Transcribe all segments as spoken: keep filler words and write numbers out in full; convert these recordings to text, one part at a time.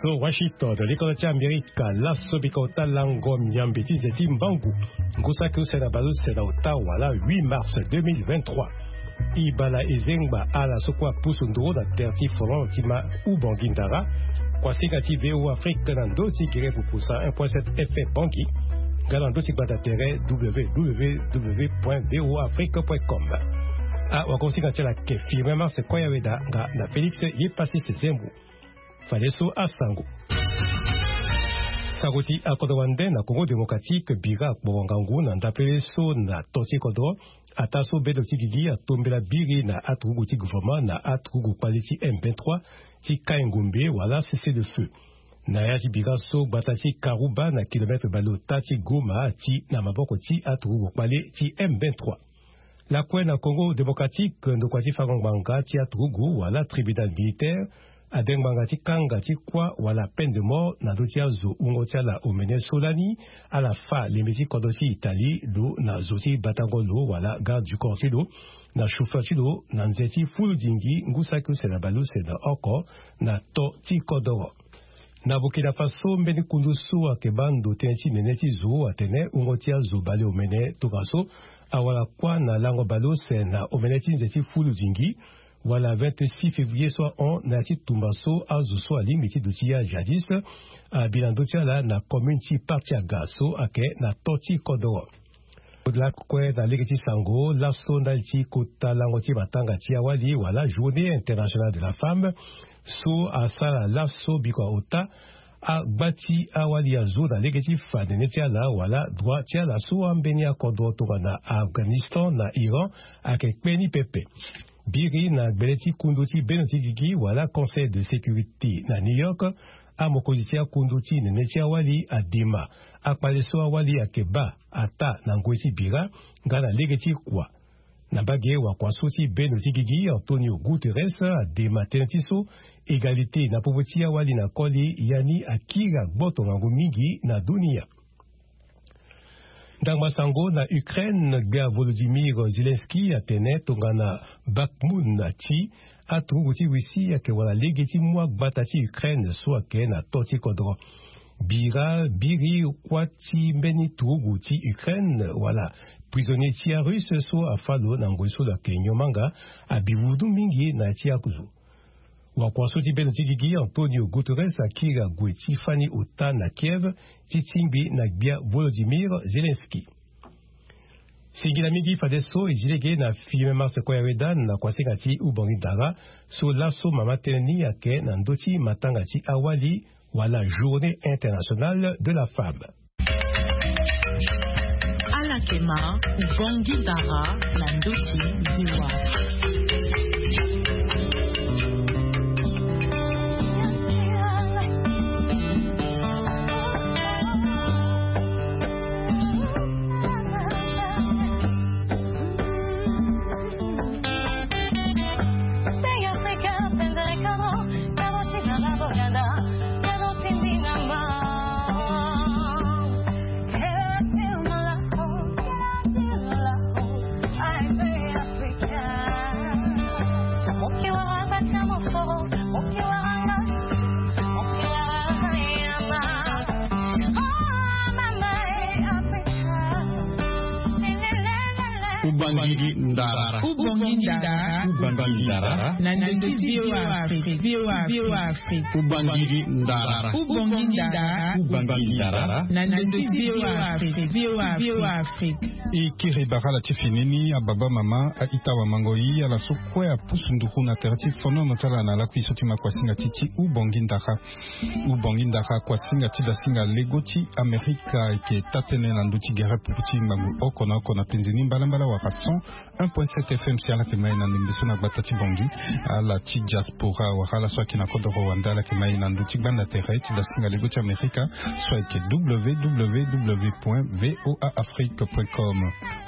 So Washington, likolo ti Amerika, laso bika ota lango miambe ti nze ti mbangu, ngu saki use na baleuse na ota wala huit mars deux mille vingt-trois. Ibala ezengba ala so kue apusu nduru na tere ti folon ti ma Ubongi Ndara. Kuasinga ti V O Afrique na ndö ti gere pupusa un point sept F M Bangui, nga na ndö ti gbanda tere W W W point V O Afrique point com. Ah, wakosinga ti ala ke Firmin Marse Koyaweda nga na Félix Yepassis Zembo. Fadeso asango. Sango ti akodro wande na Congo Démocratique, bira akporo ngangu na ndapele so na to ti kodro, ataa so bendo ti gigi atombela biri na aturugu ti gouvernement na aturugu kpale ti M vingt-trois ti kai ngombe wala cessez-le-feu. Na ya ti bira so, gbata ti Karuba na kilomètre baleota ti Goma ati na maboko ti aturugu kpale ti M vingt-trois. Lakue na Congo Démocratique, ndokua ti fango ngbanga ti aturugu wala tribunal militaire ade ngbanga ti kanga ti kuâ wala peine de mort na ndö ti azo wungo ti ala omene so lani ala fâ lembe ti kodro ti Italie lo na zo ti batango lo wala garde du corps ti lo na chauffeur ti lo na nze ti fulu dingi ngu saki use na baleuse na oko na to ti kodoro. Na Burkina Faso, mbeni kundu so ayeke baa ndo tënë ti nene ti zo atene wungo ti azo baleomene tongaso awara kuâ na lango baleuse na omene ti nze ti fulu dingi wala vingt-six février so ahon na ya ti tumba so azo so alingbi ti duti ya jihadiste abi na ndö ti ala na commune ti Partiaga so ayeke na to ti kodoro. Lakue na lege ti sango, laso ndali ti kota lango ti matanga ti awali wala Journée internationale de la femme so asara laso bikua ota, agba ti awali azo na lege ti fa nene ti ala wala droit ti ala so ambeni akodro tongana Afghanistan na Iran ayeke kpe ni pepe. Biri na gbele ti kundu ti bendo ti gigi wala Conseil de sécurité na New York, amokonzi ti akundu ti nene ti awali adema akpale so awali ayeke baa ataa na ngoi ti bira nga na lege ti kua. Na mbage wakua so ti bendo ti gigi, Antonio Guterres adema tënë ti so égalité na popo ti awali na koli, ya ni akiri agboto ngangu mingi na dunia. Ndangba sango na Ukraine, gbia Volodymyr Zelensky atene tongana Bakhmut ti aturugu ti Russie ayeke wala lege ti mu agbata ti Ukraine so ayeke na to ti kodro. Bira biri kuâ ti mbeni turugu ti Ukraine wala prisonnier ti aRusse so afâ lo na ngoi so lo yeke nyon manga abi vundu mingi na ya ti azo. Wakua so ti bendo ti gigi, Antonio Guterres akiri ague ti fani ota na Kiev ti tingbi na gbia Volodymyr Zelensky. Singila mingi fadeso e zi lege na Firmin Marse Koyaweda na kuasinga ti Ubongi Ndara so laso mama tënë ni ayeke na ndö ti matanga ti awali wala Journée internationale de la femme. Ala yeke ma Ubongi Ndara na ndö ti V O A. Ubangiri ndara. Ubangiri ndara. Ubangiri ndara. Na ndö ti V O A Afrique. V O A Afrique. Ubangiri ndara. Ubangiri ndara. Ubangiri ndara. Na ndö ti V O A Afrique. V O A Afrique. E kiri bara ala ti fini ni, ababa mama, a-ita wamango-i, ala so kue apusu nduru na tere ti fonono ti ala na lakui so ti ma kuasinga ti ti Ubangiri ndara. Ubangiri ndara, kuasinga ti dasinga lego ti Amerika ayeke taa-tënë na ndö ti gere pupu ti ngbangbu oko na oko na penze ni mbalambala wala cent un point sept F M si ala yeke ma e na ndembe so na gbata ti Bangui. Ala ti diaspora wala ala so ayeke na kodoro wande ala yeke ma e na ndö ti gbanda tere ti dasinga lego ti Amerika so ayeke W W W point V O A Afrique point com.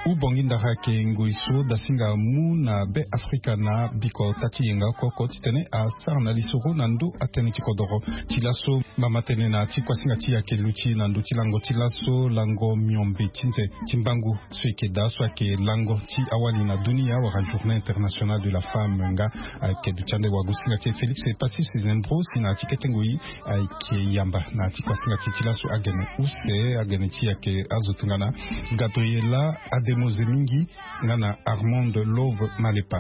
Ubongi ndara ayeke ngoi so dasinga amu na Be Afrika na biko ota ti yenga oko oko titene asara na lisoro na ndo atënë ti kodoro. Ti laso mama tënë na ti kuasinga ti e ayeke luti na ndö ti lango ti laso lango miombe ti nze ti mbangu so eke daa so ayeke lango ti awali na dunia wala journée internationale de la femme nga ayeke duti ande wagosinga ti e Félix Passy Suzembro si na ti kete ngoi ayeke yamba na ti kuasinga ti e ti laso agene use agene ti e ayeke azo tongana Gabriela Ademo Zemingi nga na Armand Love Malepa.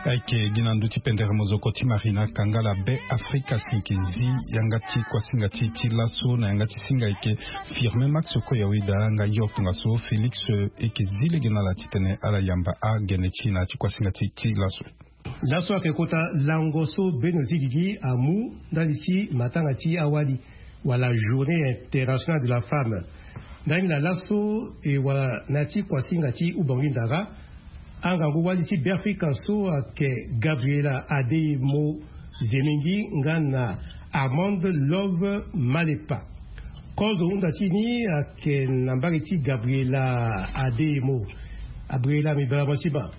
Ayeke gi na ndö ti pendere mozoko ti Marina Kangala Be Afrika si eke zi yanga ti kuasinga ti e ti laso na yanga ti singa eke Firmin Max Koyaweda nga yo tongaso Félix eke zi lege na ala titene ala yamba agene ti e na ti kuasinga ti e ti laso. Laso ayeke kota lango so bendo ti gigi amu ndali ti matanga ti awali wala journée internationale de la femme. Ndani na laso e wala na ti kuasinga ti ubongi ndara angangu wali ti Be Afrika so ayeke Gabriela Ademo Zemingi nga na Armand Love Malepa. Kozo hunda ti ni ayeke na mbage ti Gabriela Ademo. Gabriela, mbi bara mo sima.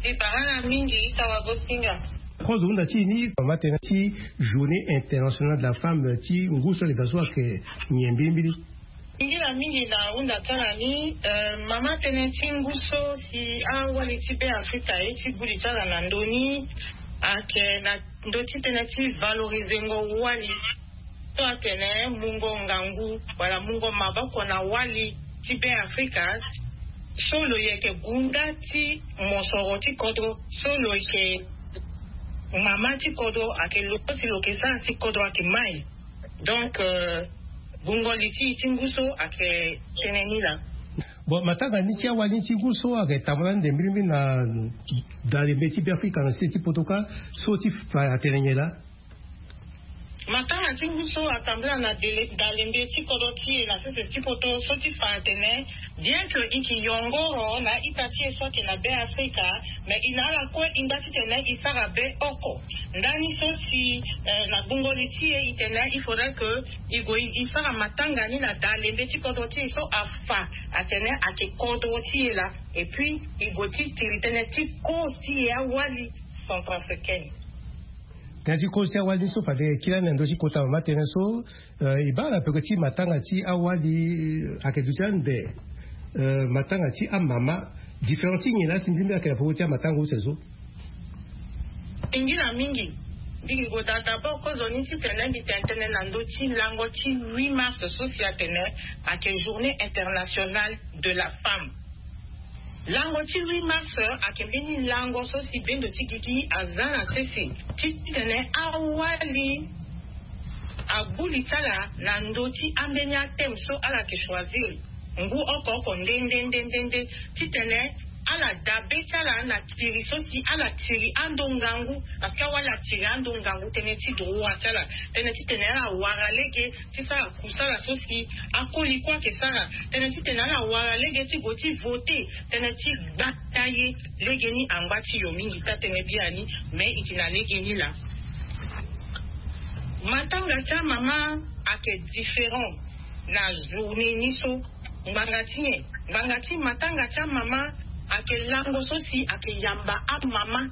Mbi bara na mingi ita wagosinga. Kozo hunda ti ni mama tënë ti journée internationale de la femme ti ngu so leka so ayeke nyen mbilimbili? Mingi na mingi na hunda ti ala ni, eh, mama tënë ti ngu so si awali ti Be Afrika aye ti gbu li ti ala na ndö ni ayeke na ndö ti tënë ti valorizengo wali so atene mungo ngangu wala mungo maboko na wali ti Be Afrika so lo yeke gunda ti mosoro ti kodro so lo yeke mama ti kodro ayeke lo so si lo yeke sara si kodro ayeke mai. Donc, euh, gungo li ti e ti ngu so ayeke tënë ni laa. Bon, matanga ni ti awali ni ti ngu so ayeke tambula ande mbilimbili na dalembe ti Be Afrika na sese ti poto kâ so ti fa atene nyen laa? Matanga ti ngu so atambula na dele- dalembe ti kodro ti e na sese ti poto so ti fa atene, bien que e yeke yongoro na ita ti e so ayeke na Be Afrika, mais e na ala kue e nda titene e sara be oko. Ndani so si, eh, na gungo li ti e e tene il faudrait que e gue e sara matanga ni na dalembe ti kodro ti e so afa atene ayeke kodro ti e laa. Et puis e gue ti tiri tënë ti kozo ti e awali centrafricaine. Tënë ti kozo ti awali ni so fade e kiri ande na ndö ti kota mama tënë so, eh, e baa na peko ti matanga ti awali, eh, ayeke duti ande, eh, matanga ti amama. Différence ti nyen laa si mbi mbi ayeke na peko ti amatanga use so? Mingi na mingi. Mbi yeke gue daa d'abord kozo ni titene mbi tene tënë na ndö ti lango ti huit mars so si atene ayeke journée internationale de la femme. Lango ti huit mars ayeke mbeni lango so si bendo ti gigi aza na sese titene awali agbu li ti ala na ndö ti ambeni athème so ala yeke choisir ngu oko oko nde nde nde nde nde titene ala dabe ti ala na tiri so si ala tiri ando ngangu. Parce que awali atiri ando ngangu tënë ti droit ti ala, tënë titene ala wara lege ti sara kusala so si akoli kue ayeke sara, tënë titene ala wara lege ti gue ti vote, tënë ti gbata ye. Legeni angba ti yo mingi taa tënë biani, mais e yeke na legeni laa. Matanga ti amama ayeke différent na journée ni so. Ngbanga ti nyen? Ngbanga ti matanga ti amama ayeke lango so si ayeke yamba amama.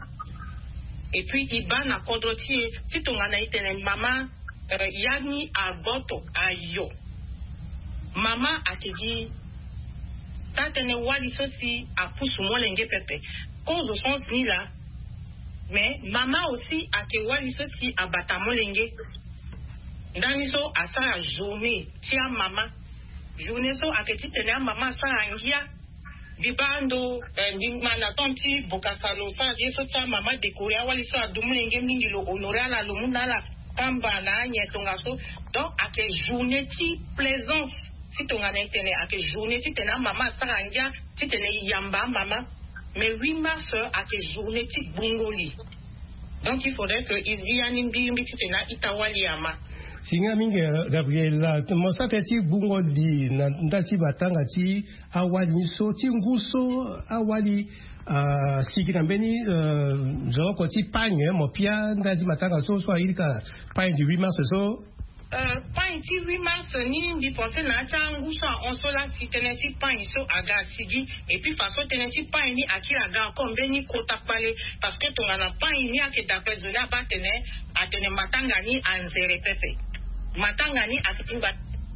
Et puis e baa na kodro ti e ti tongana e tene mama, eh, ya ni aboto ayo. Mama ayeke gi taa tënë wali so si apusu molenge pepe. Kozo sens ni laa. Mais mama aussi ayeke wali so si abata molenge. Ndani so asara journée ti amama. Journée so ayeke titene amama asara ngia. Mbi baa ndo, eh, mbi ma na temps ti Bokassa lo sara ye so ti amama décorer awali so adu molenge mingi, lo honorer ala, lo mu na ala kamba na anyen tongaso. Donc ayeke journée ti plaisance ti tongana e tene ayeke journée titene amama asara ngia titene e yamba amama. Mais huit mars ayeke journée ti gbungo li. Donc il faudrait que e zi ya ni mbirimbi titene a-ita wali ama. Singa mingi, eh, Gabriela, mo sara tënë ti gbungo li na ndali ti matanga ti awali ni so ti ngu so awali, ah, asigi na mbeni, eh, nzoloko ti pagne, mo pia ndali ti matanga so so airika pagne du huit mars so. Pain ti huit mars ni mbi pense na ya ti angu so ahon so la si tënë ti pain so aga asigi. Et puis façon tënë ti pain ni akiri aga encore mbeni kota kpale. Parce que tongana pain ni ayeke dape zo ni abaa atene, atene matanga ni anzere pepe. Matanga ni ayeke ngba.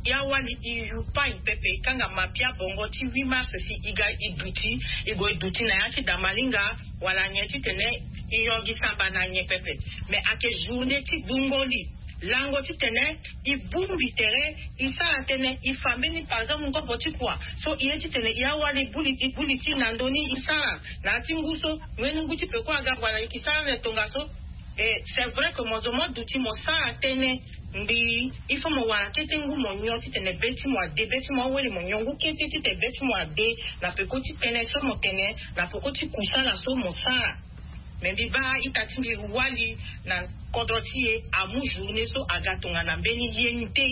Ya wali e yu pain pepe e kanga mapia bongo ti huit mars si e ga e duti, e gue e duti na ya ti damalinga wala nyen titene e yongi samba na nyen pepe. Mais ayeke journée ti gbungo li lango titene e bongbi tere e sara tënë e fa mbeni par exemple ngobo ti kua. So e ye titene e awali e buli e buli ti na ndö ni e sara na ya ti ngu so. Mbeni ngu ti peko aga wala e ke sara na tongaso. Et c'est vrai que mo zo mo duti mo sara tënë ngbii il faut mo wara kete ngu mo nyon titene be ti mo ade be ti mo awele mo nyon ngu kete titene be ti mo ade. Na peko ti tënë so mo tene na peko ti kusala so mo sara. Mais mbi baa ita ti mbi wali na kodro ti e amu journée so aga tongana mbeni ye ni te.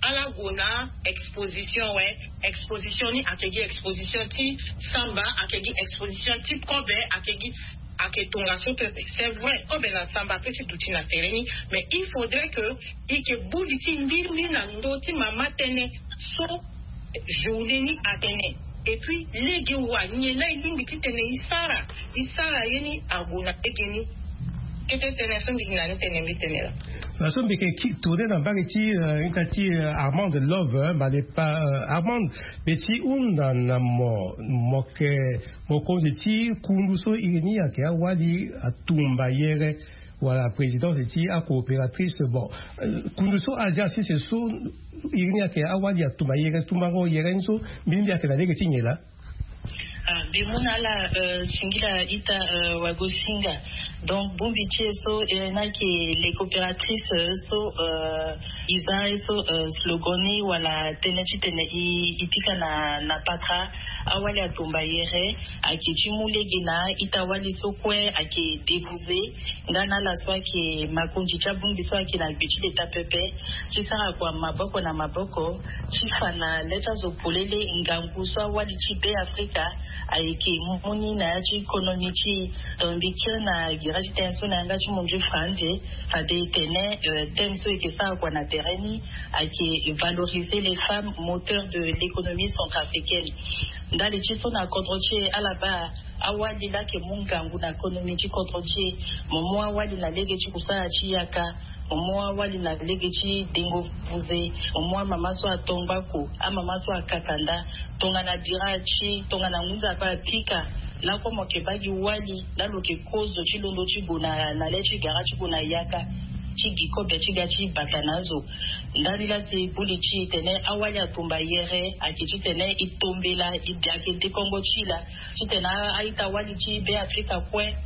Ala gue na exposition we. Exposition ni ayeke gi exposition ti samba, ayeke gi exposition ti kobe, ayeke gi ayeke tongaso pepe. C'est vrai kobe na samba ape ti duti na tere ni. Mais il faudrait que e ke buli ti mbiri mbiri na ndö ti mama tënë so journée ni atene. Et puis lege wa nyen la e lingbi titene e sara e sara ye ni ague na lege ni. Kete tënë so mbi gi na ni tene mbi tene la. Na so mbi yeke tourne na mbage ti ita ti armande love ma le pa armande. Mbi ti hunda na mo mo yeke mokonzi ti kundu so iri ni ayeke awali atumba yere wala présidence ti acoopératrice bon. Kundu so azi asese so iri ni ayeke awali atumba yere tumbango yere ni so mbi ni mbi ayeke na lege ti nyen laa? Mbi mu na ala singila ita wagosinga. Donc bongbi ti e so e na yeke le coopératrice so e za e so slogan ni wala tënë titene e pika na na patra. Awali atumba yere ayeke ti mu lege na ita wali so kue ayeke débouze. Nga na ala so ayeke makonzi ti abongbi so ayeke na gbe ti leta pepe ti sara kua maboko na maboko ti fa na le ti azo polele ngangu so awali ti be afrika ayeke mu ni na ya ti konomi ti e. Donc mbi kiri na gere ti tënë so na yanga ti mondio franze fade e tene thème so e yeke sara kua na tere ni ayeke valoriser les femmes moteurs de l'économie centrafricaine. Ndali ti so na kodro ti e ala baa awali laa ayeke mu ngangu na konomi ti kodro ti e. Mo mu awali na lege ti kusala ti yaka. Mo mu awali na lege ti dengo buze. Mo mu amama so ato ngbako, amama so akaka nda. Tongana bira ti tongana ngu nzapa apika lakue mo yeke baa gi wali laa lo yeke kozo ti londo ti gue na le ti gara ti gue na yaka ti gi kobe ti ga ti bata na azo. Ndali laa si buli ti e tene awali atumba yere ayeke titene e tombela e bi ayeke dekongo ti e laa titene a-ita wali ti be afrika kue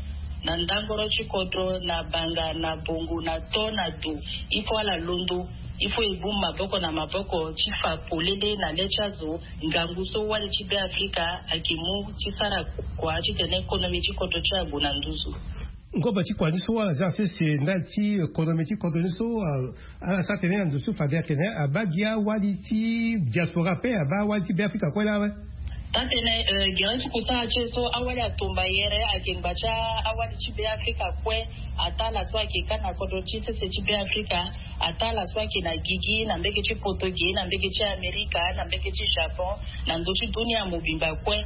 na ndangoro ti kodro na banga na bongo na to na do. Il faut ala londo. Il faut e bongbi maboko na maboko ti fa polele na le ti azo ngangu so wali ti be afrika ayeke mu ti sara kua titene konomi ti kodro ti ague na nduzu. Ngobo ti kua ni so ala za sese ndali ti konomi ti kodro ni so ala sara tene na ndo so fade atene abaa gi awali ti diaspora ape abaa awali ti be afrika kue laa awe. Tatene gere ti kusala ti e so awali atomba yere ayeke ngba ti awali ti be afrika kue. Ataa ala so ayeke ka na kodro ti sese ti be afrika ataa ala so ayeke na gigi na mbege ti poto ge na mbege ti amerika na mbege ti japon na ndo ti dunia mobimba kue.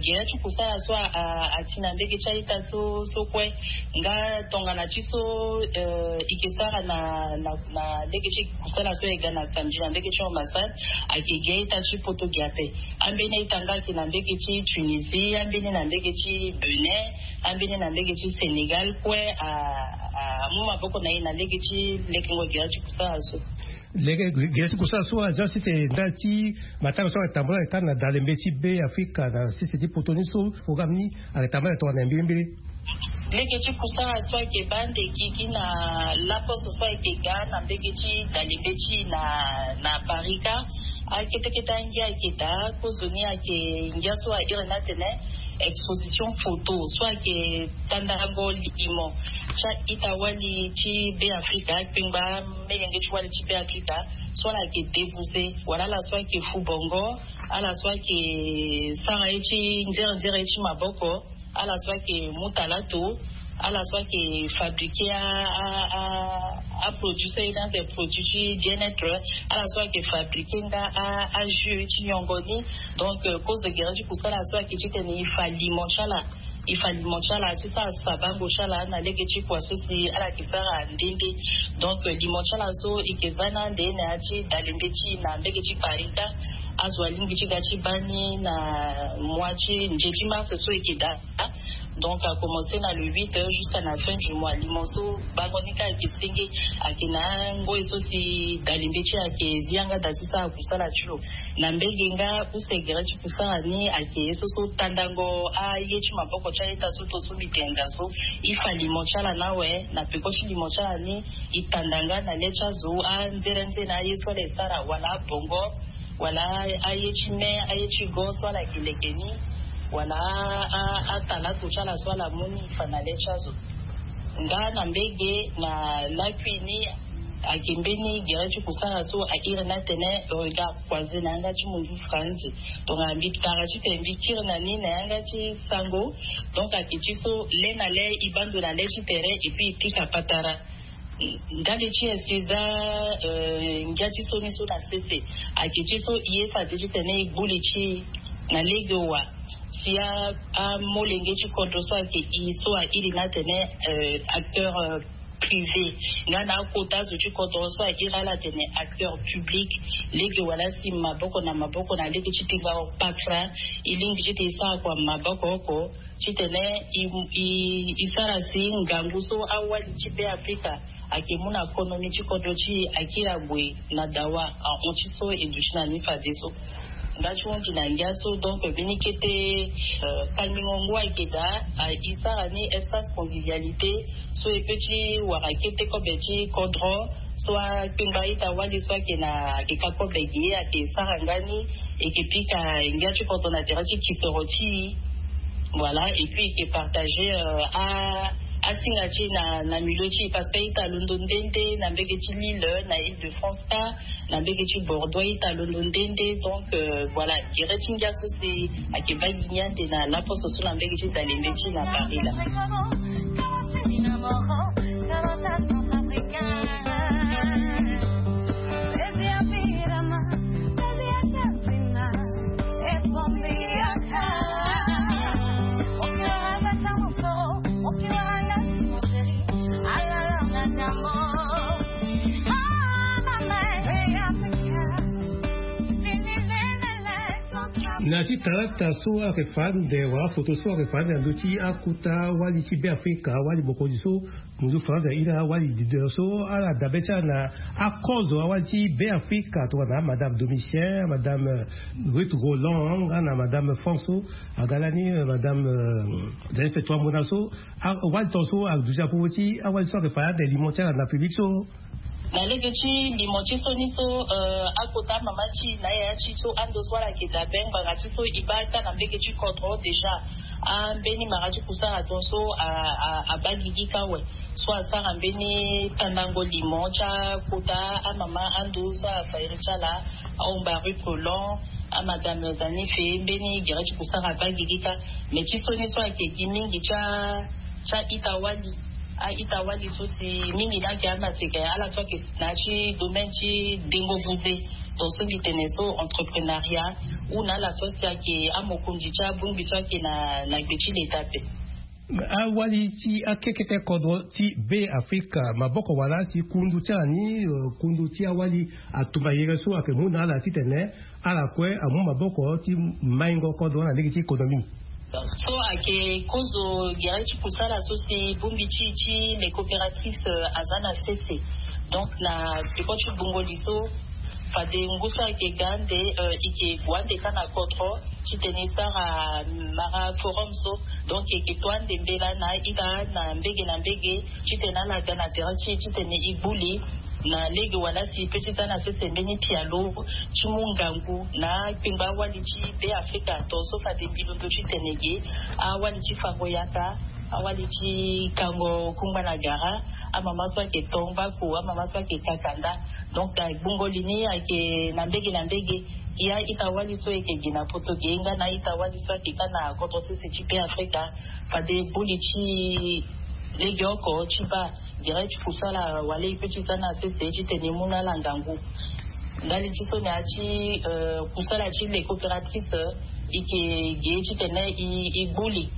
Gere ti kusala so ati na mbege ti a-ita so so kue. Nga tongana ti so e ke sara na na na ndege ti kusala so e ga na samedi na ndege ti ambassade. Ayeke gi a-ita ti poto gi ape. Ambeni a-ita nga ayeke na ndege ti tunisie ambeni na ndege ti benin ambeni na ndege ti sénégal kue. Amu maboko na e na ndege ti lekengo gere ti kusala so. Lege gere ti kusala so aza site ndali ti matanga so ayeke tambula ayeke kâ na dalembe ti be afrika na site ti poto ni so programme ni ayeke tambula ayeke tongana na mbirimbiri. Lege ti kusala so ayeke baa ande gigi na laposo so ayeke ga na mbege ti dalembe ti na na parika. Akete kete angia ayeke daa kozoni ayeke ngia so aire ni atene exposition photo so ayeke tandango limo ti a-ita wali ti be afrika akpengba melenge ti wali ti be afrika so ala yeke debouze wala ala so ayeke fu bongo ala so ayeke sara ye ti nzere nzere ye ti maboko ala so ayeke mu talato ala so ayeke fabriquer a a a Aproduit so ayeke na produit ti bien-être, ala so ayeke fabriquer nga ajus ti nyongo ni. Donc kozo gere ti kusala so ayeke titene e fa limo ti ala, e fa limo ti ala ti sara sabango ti ala na lege ti kua so si ala yeke sara nde nde. Donc limo ti ala so e yeke za na ande na ya ti dalembe ti e na mbege ti parita. Azo alingbi ti ga ti baa ni na mois ti nze ti mars so e yeke daa. Donc a commencer na le huit jusqu'à na fin du mois. Limo so bango ni ka eke senge ake na ngoi so si dalembe ti ake zi yanga da ti sara kusala ti lo. Na mbege nga use gere ti kusala ni ake ye so so tandango aye ti maboko ti ayeta so to so mbi tenda so. E fa limo ti ala na awe na peko ti limo ti ala ni. E tanda nga na le ti azo anzere nzere na aye so ala e sara wala abongo wala aye ti me aye ti go so ala yeke leke ni wala atalato ti ala so ala mu ni e fa na le ti azo. Nga na mbege na lakui ni ake mbeni gere ti kusara so a iri ni atene regard croisé na yanga ti mundu franzi. Donc mbi tara titene mbi kiri na ni na yanga ti sango. Donc ake ti so le na le e bando na le ti tere et puis e pika patara. Ndali ti nyen si e za ngia ti so ni so na sese? Ake ti so e ye fade titene e gbu li ti e na lege wa si amolenge ti kodro so ake e so a iri ni atene acteur privé nga na akota zo ti kodro so a iri ala atene acteur public. Lege wala si maboko na maboko na lege ti pinga patra e lingbi titene e sara kua maboko oko titene e sara si ngangu so awali ti be afrika ake mu na konomi ti kodro ti e akiri ague na dawa ahon ti so e duti na ni fadeso. Nga ti hundi na ngia so donc mbeni kete kangingo ngu ayeke daa e sara ni espace convivialité so e pe ti wara kete kobe ti kodro so akpengba ita wali so ayeke na ake ka kobe gi ye ake sara nga ni. Eke pika ngia ti kodro na tere ti kisoro ti e. Voilà et puis eke partager asinga ti e na milieu ti e parce que ita londo nde nde na mbege ti lille na ile de france ka na mbege ti bordeaux ita londo nde nde. Donc voilà gere ti ngia so si ake baa gi ngia nde na laposo so na mbege ti dalembe ti e na paris la. Na ti talata so ayeke fa ande wala foto so ayeke fa ande na ndö ti akota wali ti be afrika wali mokonzi so munzu faransa iri awali leader so ala dabe ti ala na akozo awali ti be afrika tongana madame domitien madame ruth roland nga na madame france so aga lani madame zani feto amona so awali ton so aduti apopo ti awali so ayeke fa ande limo ti ala na public so. Na lege ti limo ti so ni so akota mama ti na yaya ti so ando so ala yeke dabe ngbanga ti so e baa ka na mbege ti kodro déjà ambeni mara ti kusara ton so abaa gigi ka awe. So asara mbeni tandango limo ti akota amama ando so afa iri ti ala ahomba rue colon amadame zanife mbeni gere ti kusara abaa gigi ka. Mais ti so ni so ayeke gi mingi ti a ti a-ita wali a-ita wali so si mingi ni ayeke amaseka ala so ayeke na ya ti domaine ti dengo buze. Donc so mbi tene so entreprenariat ou na ala so si ayeke amokonzi ti abongbi so ayeke na na gbe ti leta ape. Awali ti akekete kodro ti be afrika maboko wala si kundu ti ala ni kundu ti awali atumba yere so ayeke mu na ala titene ala kue amu maboko ti maingo kodro na lege ti économie. So ayeke kozo gere ti kusala so si bongbi ti ti les coopératifs aza na sese. Donc na peko ti gbungo li so fade ngu so ayeke ga ande eke gue ande ka na kodro titene e sara mara forum so. Donc eke to ande mbela na aita na mbege na mbege titene ala ga na tere ti e titene e gbu li na lege wala si e pe ti za na sese mbeni pialo ti mu ngangu na akpengba awali ti be afrika to so fade mbi londo titene ge awali ti fango yaka awali ti kango kungba na gara amama so ayeke to ngbaku amama so ayeke kaka nda. Donc gbungo li ni ayeke na mbege na mbege ya ita wali so ayeke gi na poto ge nga na ita wali so ayeke ka na kodro sese ti be afrika fade buli ti legeoko ti baa. gere ti kusala wala e pe ti za na sese titene e mu na ala ngangu. Ndali ti so na ya ti kusala ti les coopératrices, e yeke ge titene e gbuli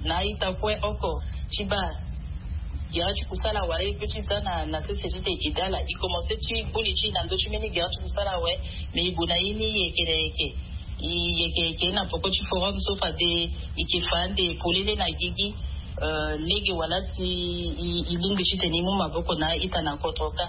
na a-ita kue oko ti baa gere ti kusala wala e pe ti za na sese titene e daa ala. E komanse ti gbuli ti e na ndö ti mbeni gere ti kusala awe. Me e gue na ye ni yeke na yeke, e yeke yeke na poko ti forum so fade e yeke fa ande polele na gigi. Lege wala si e lingbi titene e mu maboko na a-ita na kodro kâ.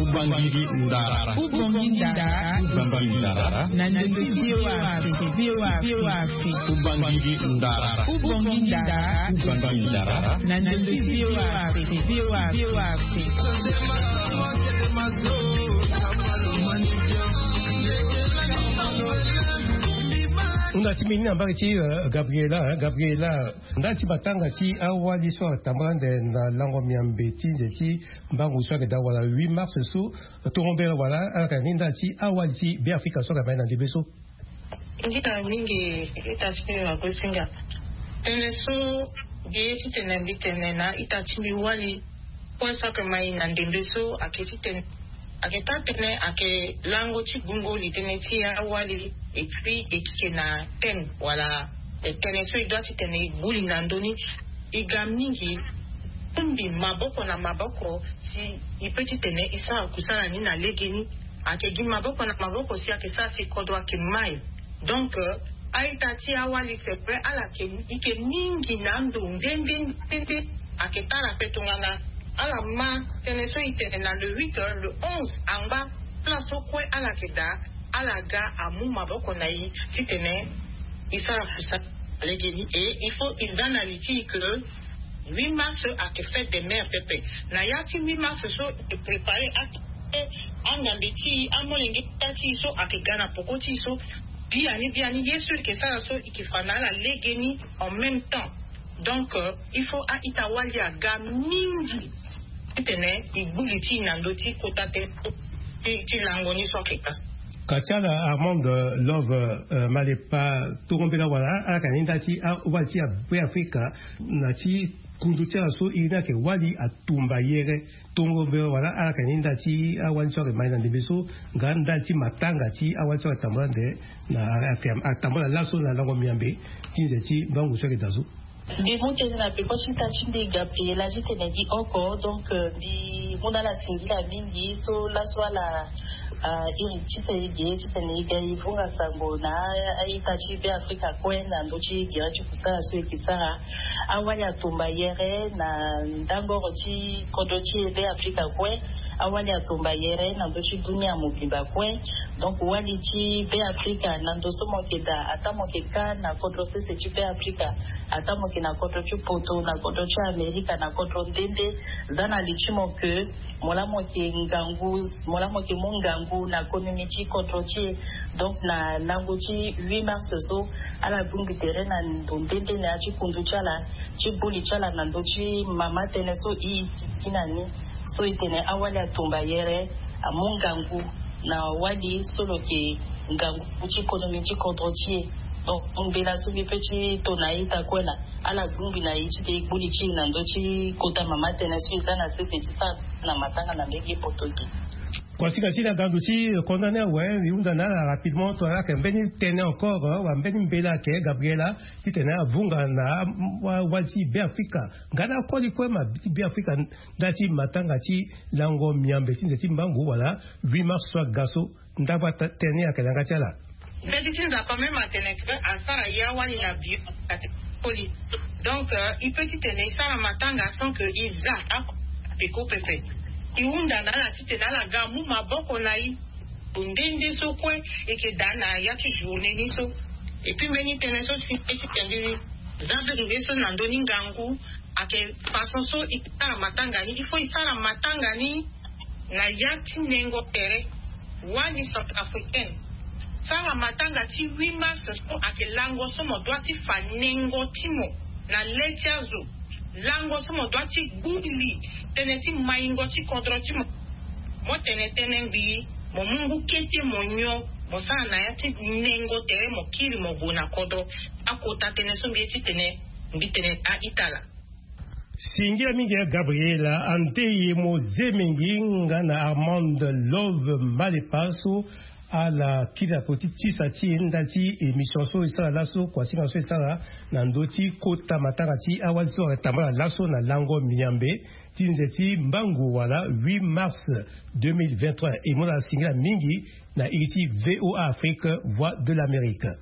Ubangiri ndara. Ubangiri ndara. Ubangiri ndara. Na ndenge ti V O A Afrique, V O A Afrique. Ubangiri ndara. Ubangiri ndara. Ubangiri ndara. Na ndenge ti V O A Afrique, V O A Afrique. Hunda ti mbeni na mbage ti, eh, Gabriela, eh, Gabriela. Ndali ti matanga ti awali so atambula ande na lango miambe ti nze ti mbangu so ayeke daa wala huit mars so, tongo mbela wala ala yeke na ni ndali ti awali ti Beafrika so ayeke mai na ndembe so. Nginza mingi ita ti mbi wagosinga. Tënë so mbi ye titene mbi tene na ita ti mbi wali kue so ayeke mai na ndembe so ayeke titene ayeke taa tënë ayeke lango ti gungo li tënë ti awali. Et puis e keke na thème wala, eh, tënë so e doit titene e gbu li na ndö ni. E ga mingi, bongbi maboko na maboko si e peut titene e sara kusala ni na legeni. Ayeke gi maboko na maboko si ayeke sara si kodro ayeke mai. Donc, euh, a-ita ti awali, c'est vrai, ala yeke ike mingi na ando nde nde nde nde. Ayeke tara ape tongana ala ma tënë so e tene na le huit, euh, le onze angba, place so kue ala yeke daa, ala ga amu maboko na e titene e sara kusala legeni. Et il faut e za na li ti e que huit mars ayeke fête des mères pepe. Na ya ti huit mars so e prépare ake angambe ti e, amolenge ti e so ayeke ga na peko ti e so, biani biani ye so e yeke sara so e yeke fa na ala legeni en même temps. Donc, euh, il faut a-ita wali aga mingi titene e gbu li ti e na ndö ti kota tënë ti, ti lango ni so ayeke ka. Ka ti ala Armand, euh, Love, euh, Malepa, tongo mbela wala ala yeke na ni ndali ti awali ti Beafrika na ti kundu ti ala so e ni ayeke wali atumba yere. Tongo mbela wala ala yeke na ni ndali ti awali so ayeke mai na ndembe so, nga ndali ti matanga ti awali so ayeke tambula ande na, ayeke tambula laso na lango miambe ti nze ti mbangu so ayeke daa so. Mbi mu tënë na peko ti ita ti mbi Gabriela titene gi oko. Donc, euh, mbi mu na ala singila mingi so laso ala, ah, iri titene e ge titene e ga e vunga sango na a-ita ti Beafrika kue na ndö ti gere ti kusala so e yeke sara. Awali atumba yere na ndangoro ti kodro ti e Beafrika kue. Awali atumba yere na ndö ti dunia mobimba kue. Donc wali ti Beafrika na ndo so mo yeke daa, ataa mo yeke kâ na kodro sese ti Beafrika, ataa mo yeke na kodro ti poto, na kodro ti Amerika, na kodro nde nde, za na li ti mo ke mo laa mo yeke ngangu, mo laa mo yeke mu ngangu na konomi ti kodro ti e. Donc na lango ti huit mars so, ala bongbi tere na ndo nde nde na ya ti kundu ti ala, ti gbu li ti ala na ndö ti mama tënë so e sigi na ni. So e tene awali atumba yere amu ngangu na wali so lo yeke ngangu ti konomi ti kodro ti e. Donc mbela so mbi peut ti to na a-ita kue laa, ala gbu ngbi na e titene e gbu li ti e na ndö ti kota mama tënë so e za na sese ti sara na matanga na mbege poto ge. Kuasinga ti na gandu ti condamné awe, e hunda na ala rapidement to ala yeke mbeni tënë encore, wala mbeni mbela ayeke Gabriela, titene avunga na wali ti Beafrika nga na akoli kue ma ti Beafrika, nda ti matanga ti lango miambe ti nze ti mbangu wala huit mars so aga so. Ndava tënë ayeke na yanga ti ala. Mbeti ti Nzapa même atene ke asara ya wali na bio, ate koli. Donc il peut titene e sara matanga sans que e za ako peko pepe. E hunda na ala titene ala ga amu maboko na e. Nde nde so kue e yeke daa na ya ti journée ni so. Et puis mbeni tënë so si mbeti tene za mpe nde so na ndö ni ngangu ayeke façon so e sara matanga ni, il faut e sara matanga ni na ya ti nengo tere. Wali centrafricaine sara matanga ti huit mars so ayeke lango so mo dua ti fa nengo ti mo na le ti azo. Lango so mo dua ti gbu li tënë ti maingo ti kodro ti mo. Mo tene tënë ngbii, mo mu ngu kete mo nyon, mo sara na ya ti nengo tere mo kiri mo gue na kodro. Akota tënë so mbi ye titene mbi tene a-ita laa. Singila mingi ya Gabriela, ande ye mo ze mingi nga na Armand Love Malepa so ala kiri na poto ti tisa ti e nda ti émission so e sara laso, kuasinga so e sara na ndö ti kota matanga ti awali so ayeke tambala laso na lango miambe ti nze ti mbangu wala huit mars deux mille vingt-trois. E mu na ala singila mingi na iri ti VOA Afrique, Voix de l'Amérique.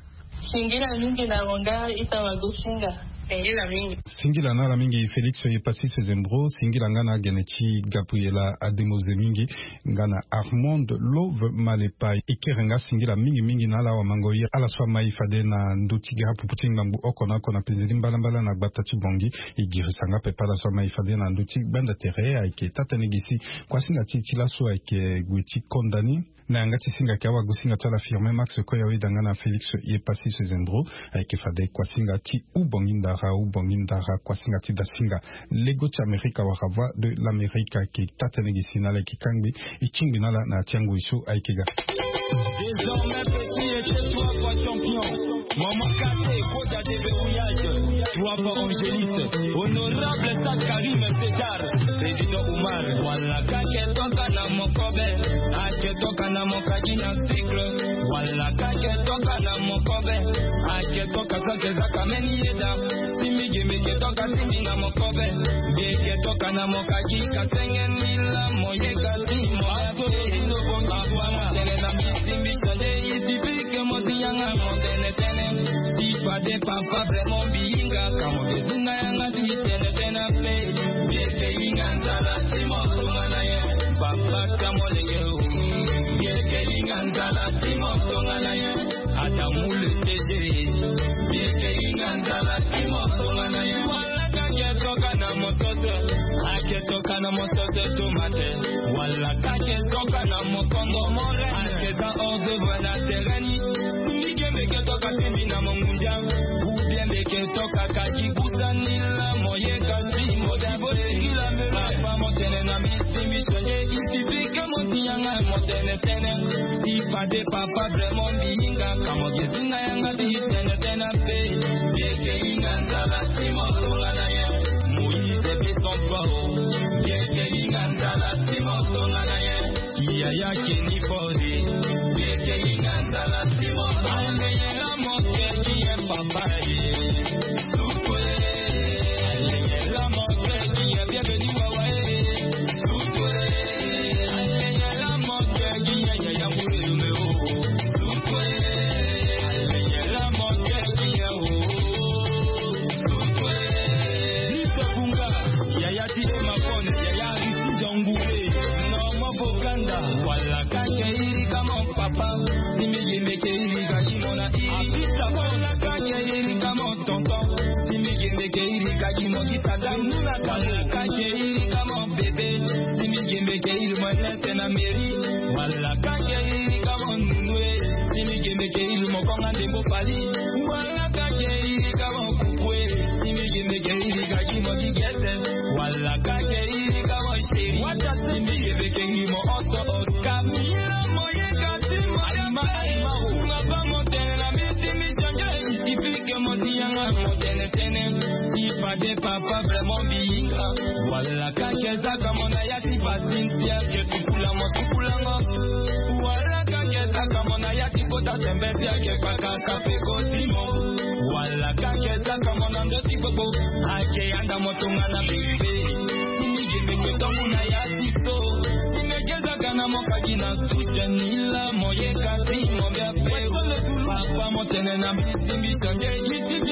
Singila mingi na ronga ita wagosinga. Singila mingi. Singila na ala mingi Félix Epassis Sezembro, singila nga na agene ti Gabriela Ademoze mingi nga na Armand Love Malepa. E kere nga singila mingi mingi na ala wamango ye ala so amai fade na ndö ti ga apupu ti ngbangbu oko na oko na penze ti mbalambala na gbata ti Bongi. E girisa nga pepe ala so amai fade na ndö ti gbanda tere ayeke taa-tënë gi si kuasinga ti e ti laso ayeke gue ti konda ni. Na yanga ti singa ayeke awagosinga ti ala Firmin Max Koya, weda nga na Félix Epassis Sezembro. Ayeke fade kuasinga ti Ubongi Ndara, Ubongi Ndara, kuasinga ti dasinga. Lego ti Amerika wala Voix de l'Amérique ayeke taa-tënë gi si na ala ayeke kangbi. E tingbi na ala na ya ti angoi so ayeke ga. Désormais petit et chez toi fois champion. Maman Kate, Koda de verrouillage. Trois fois Angélite. Honorable Stade Karim César. Président Omar. Wala kake toka na mokobe. Ake toka na mokaki na cycle. Wala kake toka na mokobe. Ake toka sake zaka meni yeda. Simi gimi ke toka simi na mokobe. Geke toka na mokaki kasenge nila moye kasi moya. Papa motene na misimbi sande isi pike moti yanga motene tene. Ti fade papa vraiment biyinga kamo ke zinga yanga ti tene tene pe. Geke yinga nzala ti motonga na ye. Papa kamo lenge o. Geke yinga nzala ti motonga na ye. Adamu le T G. Yeke yinga nzala ti motonga na ye. Wala kake toka na motose. Ake toka na motose tomate. Wala kake toka na mokongo more. Ake za hors d'œuvre na terrain ni. Mike meke toka temi na mongundia. Ou bien meke toka kaki kuta nila moye kasi moda boye. Papa motene na misimbi sonye. Isi pike moti yanga motene tene. Ti fade papa vraiment biyinga kamo ke zinga yanga ti tene tene pe. Yeke yinga nzala ti motonga na ye. Moïse pe son corps. Yeke yinga nzala ti motonga na ye. Yaya keni fore. Yeke yinga nzala ti motonga na ye. Aleyela moke ki ye papa ye. Papa, si mi yembe ke iri ka ki mo na iri. Abita wala ka ke iri ka mo tonton. Si mi yembe ke iri ka ki mo ki tata. Muna ka mo ka ke iri ka mo bebe. Si mi yembe ke iri mo nete na meri. Wala ka ke iri ka mo nunue. Si mi yembe ke iri mo konga ndembo pali. Wala ka ke iri ka mo kukue. Si mi yembe ke iri ka ki mo ki gete. Wala ka ke iri ka mo sheri. Wata si mi yembe ke iri mo oto. Kamila moye kati moye ma. Nga ba motene na miti mi change. Isi pike moti yanga motene tene. Ipade papa vraiment biyinga. Wala ka ke zaka mona ya ti basintia. Ke tukula mo tukula ngo. Tembe ti ake kpaka kape kosimo. Wala kake zaka mo na ndo ti gbogbo. Ake anda mo tongana bebe. Ti mi gebe ko tongu na ya ti so. Ti mi ege zaka na mo kaki na susen ni la mo ye kasi mo bia pe. Papa mo tene na mi ti mi sande.